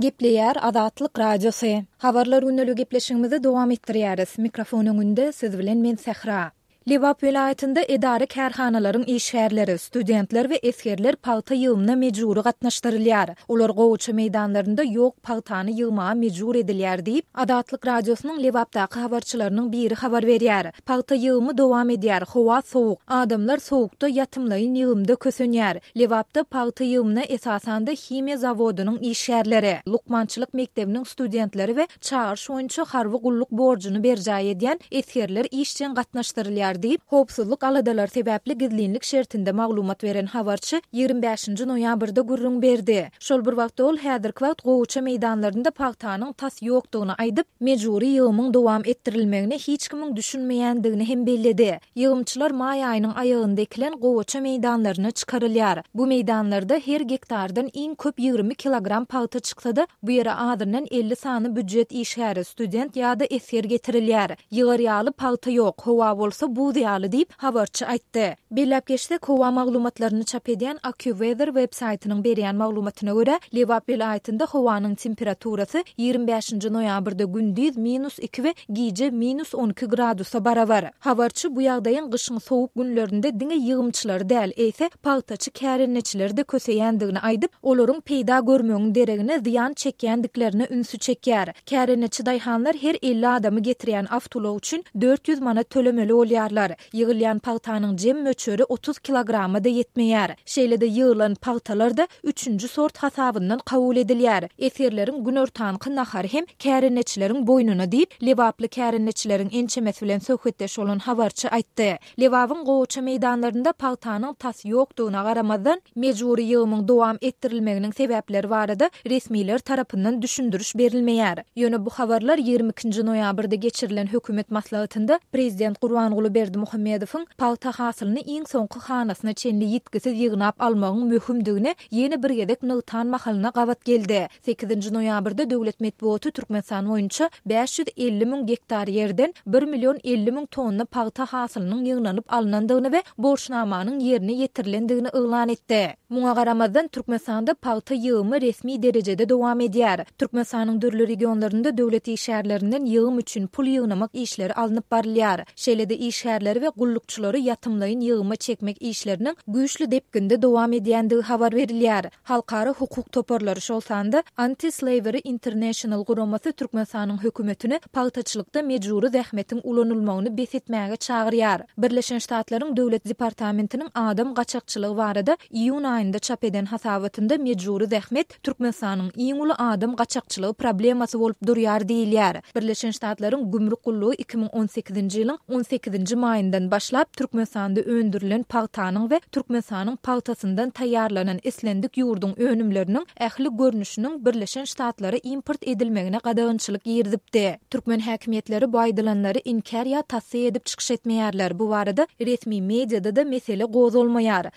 Gepleýär Azatlyk Radiosy. Habarlar gündeligi gepleşigimizi dowam etdirýäris. Mikrofon öňünde siz bilen men Sähra. Lebap welaýatynda edara-kärhanalaryň işgärleri, studentler we esgerler pagta ýygymyna mejbury gatnaşdyrylýar. Olar gowaça meýdanlarynda ýok pagtany ýygmaga mejbur edilýär diýip, Azatlyk Radiosynyň Lebapdaky habarçylarynyň biri habar berýär. Pagta ýygymy dowam edýär, howa sowuk. Adamlar sowukda ýatymlaýyn ýygymda kösenýär. Lebapda pagta ýygymyna esasanda himiýa zawodynyň işgärleri, lukmançylyk mekdebiniň studentleri we çagyryş boýunça harby gulluk borjuny berjaý edýän esgerler işjeň gatnaşdyrylýar diýip, howpsuzlyk aladalary sebäpli gizlinlik şertinde maglumat beren habarçy 25-nji noýabrda gürrüň berdi. Şol bir wagtda ol häzirki wagt gowaça meýdanlarynda pagtanyň tas ýokdugyny aýdyp, mejbury ýygymyň dowam etdirilmegine hiç kimiň düşünmeýändigini hem belledi. Ýygymçylar maý aýynyň aýagynda ekilen gowaça meýdanlaryna çykarylýar. Bu meýdanlarda her gektardan iň köp 20 kilogram pagta çyksa-da, bu ýere azyndan 50 sany býujet işgäri, student ýa-da esger getirilýär. Ýygar ýaly pagta ýok, howa bolsa buz ýaly diýip, habarçy aýtdy. Belläp geçsek, howa maglumatlaryny çap edýän AccuWeather web saýtynyň berýän maglumatyna görä, Lebap welaýatynda howanyň temperaturasy 25-nji noýabrda gündiz minus iki we gije minus 12 gradusa barabar. Habarçy bu ýagdaýyň gyşyň sowuk günlerinde diňe ýygymçylary däl, eýse, pagtaçy kärendeçileri-de köseýändigini aýdyp, olaryň peýda görmegiň deregine zyýan çekýändiklerine ünsi çekýär. Kärendeçi daýhanlar her 50 adamy getirýän awtoulag üçin 400 manat tölemeli bolýarlar. Ýygylýan pagtanyň jem möçberi 30 kilograma-da ýetmeýär. Şeýle-de ýygylan pagtalar-da üçünji sort hasabyndan kabul edilýär. Esgerleriň günortanky nahary hem kärendeçileriň boýnuna diýip, lebaply kärendeçileriň ençemesi bilen söhbetdeş bolan habarçy aýtdy. Lebabyň gowaça meýdanlarynda pagtanyň tas ýokdugyna garamazdan, mejbury ýygymyň dowam etdirilmeginiň sebäpleri barada resmiler tarapyndan düşündiriş berilmeýär. Ýöne bu habarlar 22 nji noýabrda geçirilen hökümet maslahatynda prezident Gurbanguly Berdimuhamedowyň pagta hasylyny iň soňky hanasyna çenli ýitgisiz ýygnap almagyň möhümdigini ýene bir gezek nygtan mahalyna gabat geldi. Sekizinji noýabrda döwlet metbugaty Türkmenistan boýunça 550 müň gektar ýerden bir million 50 müň tonna pagta hasylynyň ýygnalyp alnandygyny we borçnamanyň ýerine ýetirilendigini yglan etdi. Muňa garamazdan, Türkmenistanda pagta ýygymy resmi derejede dowam edýär. Türkmenistanyň dürli regionlarynda döwlet işgärlerinden ýygym üçin pul ýygnamak işleri alnyp barylýar. Şeýle-de işgärleri we gullukçylary ýatymlaýyn ýygyma çekmek işleriniň güýçli depginde dowam edýändigi habar berilýär. Halkara hukuk toparlary, şol sanda Anti-Slavery International guramasy Türkmenistanyň hökümetini pagtaçylykda mejbury zähmetiň ulanylmagyny bes etmäge çagyrýar. Birleşen Ştatlaryň Döwlet departamentiniň adam gaçakçylygy barada iýun aýynda çap eden hasabatynda mejbury zähmet Türkmenistanyň iň uly adam gaçakçylygy problemasy bolup durýar diýilýär. Birleşen Ştatlaryň Gümrük gullugy 2018-nji ýylyň on sekizinji maýyndan başlap Türkmenistanda öndürilen pagtanyň we Türkmenistanyň pagtasyndan taýýarlanan islendik ýurduň önümleriniň ähli görnüşiniň Birleşen Ştatlara import edilmegine gadagançylyk girizipdi. Türkmen häkimiýetleri bu aýdylanlary inkär ýa tassyk edip çykyş etmeýärler, bu barada resmi mediada-da mesele gozgalmaýar.